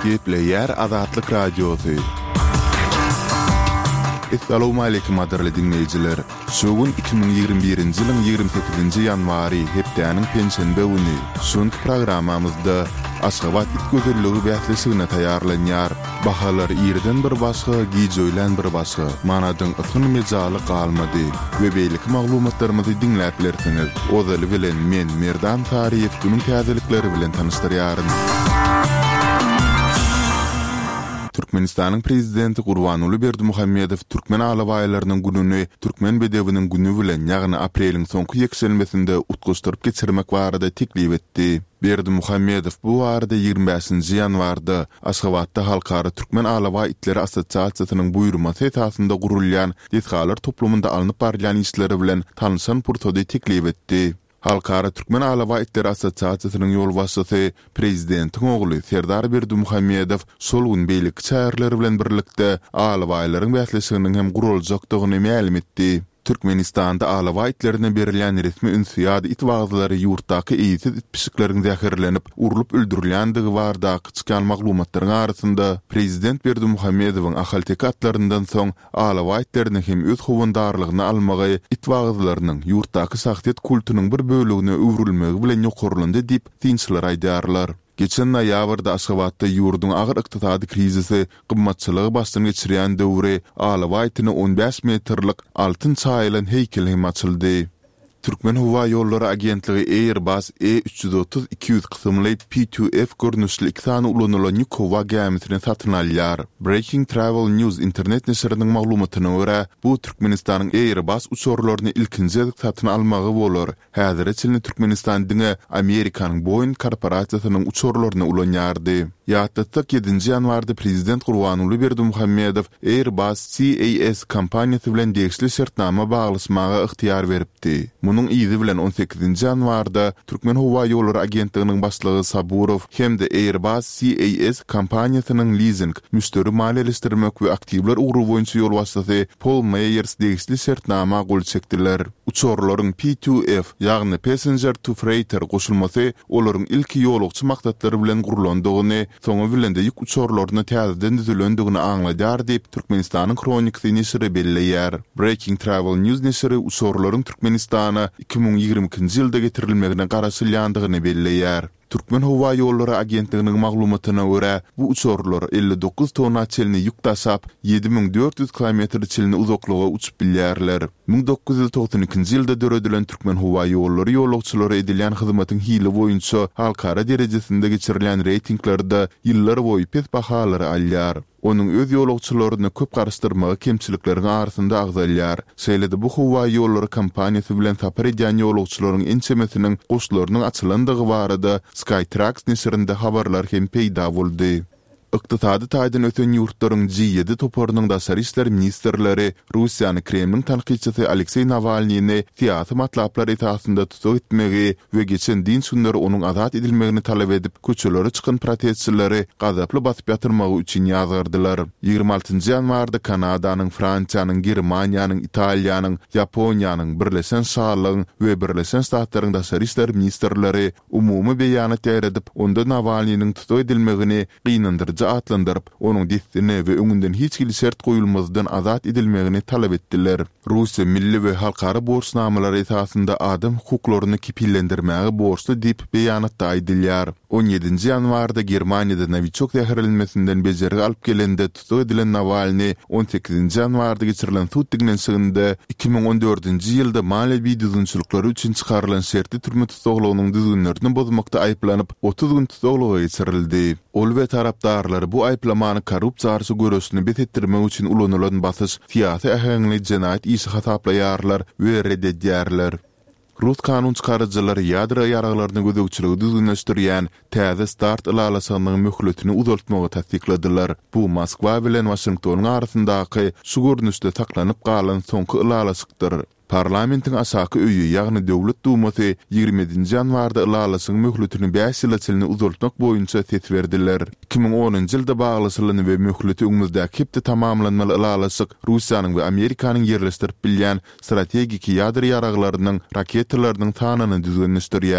Gepleýär Azatlyk Radiosy. Essalawmaleýkim gadyrly diňleýjiler! Şu gün 2021-nji ýylyň 28-nji ýanwary, hepdäniň penşenbe güni. Şu günki programmamyzda Aşgabat it gözelligi bäsleşigine taýýarlanýar. Bahalar irden bir başga, gijöýlän bir başga. Manadyň ysgyn mejaly galmady. We beýleki maglumatlarymyzy diňläp bilersiňiz. Ozaly bilen men, Merdan Saryýew günüň täzelikleri bilen tanyşdyrýaryn. Türkmenistanyň Prezidenti Gurbanguly Berdimuhamedow Türkmen alabaýlarynyň gününi Türkmen bedewiniň güni bilen, ýagny apreliň soňky ýekşenbesinde utgaşdyryp geçirmek barada teklip etdi. Berdimuhamedow bu barada 25-nji ýanwarda Aşgabatda Halkara Türkmen alabaý itleri assosiasiýasynyň buýurmasy esasynda gurulýan desgalar toplumynda alnyp barylýan işleri bilen tanyşan pursady teklip etdi. Halkara Türkmen alabaý itleri assosiasiýasynyň ýolbaşçysy, prezidentiň ogly Serdar Berdimuhamedow şol gün beýleki çäreler bilen birlikde alabaýlaryň bäsleşiginiň hem guraljakdygyny mälim etdi. Türkmenistanda alabaý itlerine berilýän resmi üns ýa-da it wagyzlary ýurtdaky eýesiz it-pişikleriň zäherlenip, urlup öldürilýändigi baradaky çykýan maglumatlaryň arasynda, prezident Berdimuhamedowyň ahalteke atlaryndan soň alabaý itlerini hem öz howandarlygyna almagy it wagyzlarynyň ýurtdaky şahsyýet kultunyň bir bölegine öwrülmegi bilen ýokarlandy diýip, synçylar aýdýarlar. Geçen noýabrda Aşgabatda ýurduň agyr ykdysady krizisi, gymmatçylygy başdan geçirýän döwri alabaý itine 15 metrlik altyn çaýylan heýkel hem açyldy. Türkmenhowaýollary agentligi Airbus E 330 200 kysymly P-2F görnüşli iki sany ulanylan ýük howa gämisini satyn alýar. Breaking Travel News internet neşiriniň maglumatyna görä, bu Türkmenistanyň Airbus uçarlaryny ilkinji gezek satyn almagy bolar. Häzire çenli Türkmenistan diňe Amerikanyň Boeing korporasiýasynyň uçarlaryny ulanýardy. Ýatlatsak, ýedinji ýanwarda prezident Gurbanguly Berdimuhamedow Airbus CAS kompaniýasy bilen degişli şertnama baglaşmaga ygtyýar beripdi. Munuň yzy bilen on sekizinji ýanwarda Türkmenhowaýollary agentliginiň başlygy Saburow hem-de Airbus CAS kompaniýasynyň lizing, müşderi maliýeleşdirmek we aktiwler ugry boýunça ýolbaşçysy Pol Meýers degişli şertnama gol çekdiler. Uçarlaryň P-to-F, ýagny Passenger to Freighter goşulmasy olaryň ilki ýolagçy maksatlary bilen gurlandygyny, soňy bilen-de ýük uçarlaryna täzeden düzülendigini aňladýar diýip, Türkmenistanyň Hronikasy neşiri belleýär. Breaking Travel News neşiri uçarlaryň Türkmenistana 2022-nji ýylda getirilmegine garaşylýandygyny belleýär. Türkmenhowaýollary agentliginiň maglumatyna görä, bu uçarlar 59 tonna çenli ýük daşap, 7400 kilometre çenli uzaklyga uçup bilýärler. 1992-nji ýylda döredilen Türkmenhowaýollary ýolagçylara edilýän hyzmatyň hili boýunça halkara derejesinde geçirilýän reýtinglerde ýyllarboýy pes bahalary alýar. Onuň öz ýolagçylaryny köp garyşdyrmagy kemçilikleriň arasynda agzalýar. Şeýle-de bu howa ýollary kompaniýasy bilen sapar edýän ýolagçylaryň ençemesiniň goşlarynyň açylandygy barada Skytrax neşirinde habarlar hem peýda boldy. Ykdysady taýdan ösen ýurtlaryň G-ýedi toparynyň daşary işler ministrleri Russiýany Kremliň tankytçysy Alekseý Nawalnyny syýasy matlaplar esasynda tussag etmegi we geçen dynç günleri onuň azat edilmegini talap edip, köçelere çykan protestçileri gazaply basyp ýatyrmagy üçin ýazgardylar. 26 ýanwarda Kanadanyň, Fransiýanyň, Germaniýanyň, Italiýanyň, Ýaponiýanyň, Birleşen Şalygyň we Birleşen Ştatlaryň daşary işler ministrleri umumy beýanat ýaýradyp, onda Nawalnynyň tussag edilmegini gynandyryjy atlandyryp, onuň dessine we öňünden hiç hili şert goýulmazdan azat edilmegini talap etdiler. Russiýa milli we halkara borçnamalary esasynda adam hukuklaryny kepillendirmäge borçly diýip, beýanatda aýdylýar. On ýedinji ýanwarda Germaniýada nowiçok zäherlenmesinden bejergi alyp gelende tussag edilen Nawalny on sekizinji ýanwarda geçirilen sud diňlenişiginde 2014-nji ýylda maliýe bidüzgünçilikleri üçin çykarylan şertli türme tussaglygynyň düzgünlerini bozmakda aýyplanyp, 30 gün tussaglyga geçirildi. Ol we tarapdarlary bu aýyplamany korrupsiýa garşy göreşini bes etdirmek üçin ulanylan basyş, syýasy äheňli jenaýat işi hasaplaýarlar we ret edýärler. Rus kanun çykaryjylary ýadro ýaraglaryna gözegçiligi düzgünleşdirýän täze start ylalaşygynyň möhletini uzaltmagy tassykladylar. Bu Moskwa bilen Waşingtonyň arasyndaky şu görnüşde saklanyp galan soňky ylalaşykdyr. Parlamentiň aşaky öýi, ýagny Döwlet Dumasy 27-nji ýanwarda ylalaşygyň möhletini bäş ýyla çenli uzaltmak boýunça ses berdiler. 2010-njy ýylda baglaşylan we möhleti öňümizdäki hepde tamamlanmaly ylalaşyk Russiýanyň we Amerikanyň ýerleşdirip bilýän strategiki ýadro ýaraglarynyň, raketalarynyň sanyny düzgünleşdirýär.